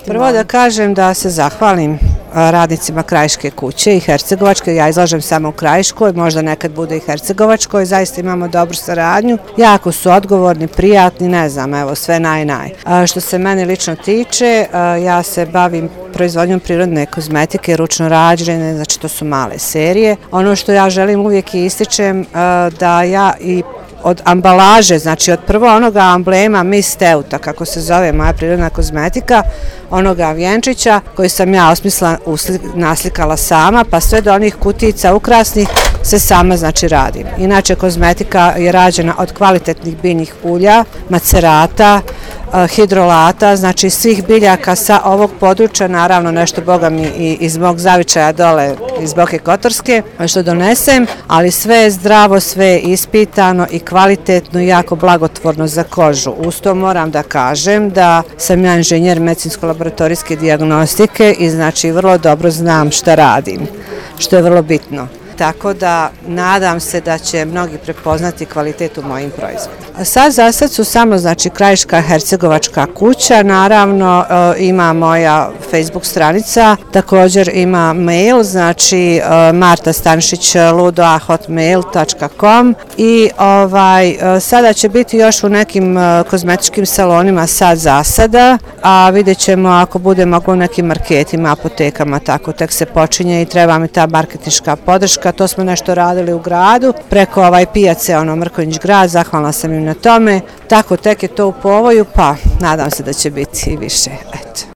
Prvo da kažem da se zahvalim radnicima Krajiške kuće i Hercegovačke, ja izlažem samo u Krajiškoj, možda nekad bude i Hercegovačkoj, zaista imamo dobru saradnju, jako su odgovorni, prijatni, ne znam, evo sve naj. Što se mene lično tiče, ja se bavim proizvodnjom prirodne kozmetike, ručno rađene, znači to su male serije. Ono što ja želim uvijek i ističem da ja i od ambalaže, znači od prvo onoga amblema Miss Teuta, kako se zove moja prirodna kozmetika, onoga vjenčića koji sam ja naslikala sama, pa sve do onih kutica ukrasnih se sama znači radim. Inače kozmetika je rađena od kvalitetnih biljnih ulja, macerata, hidrolata, znači svih biljaka sa ovog područja, naravno nešto boga mi i iz mog zavičaja dole iz Boke Kotorske, što donesem, ali sve je zdravo, sve je ispitano i kvalitetno i jako blagotvorno za kožu. Uz to moram da kažem da sam ja inženjer medicinsko-laboratorijske dijagnostike i znači vrlo dobro znam šta radim, što je vrlo bitno. Tako da nadam se da će mnogi prepoznati kvalitet u mojim proizvodima. Za sad su samo znači Krajiška Hercegovačka kuća, naravno ima moja Facebook stranica, također ima mail, znači martastanšić@hotmail.com i sada će biti još u nekim kozmetičkim salonima sad za sada, a vidjet ćemo ako bude moglo u nekim marketima, apotekama, tako tek se počinje i treba mi ta marketinška podrška. To smo nešto radili u gradu, preko pijace, Mrkonjić grad, zahvalna sam im na tome, tako tek je to u povoju, pa nadam se da će biti i više, eto.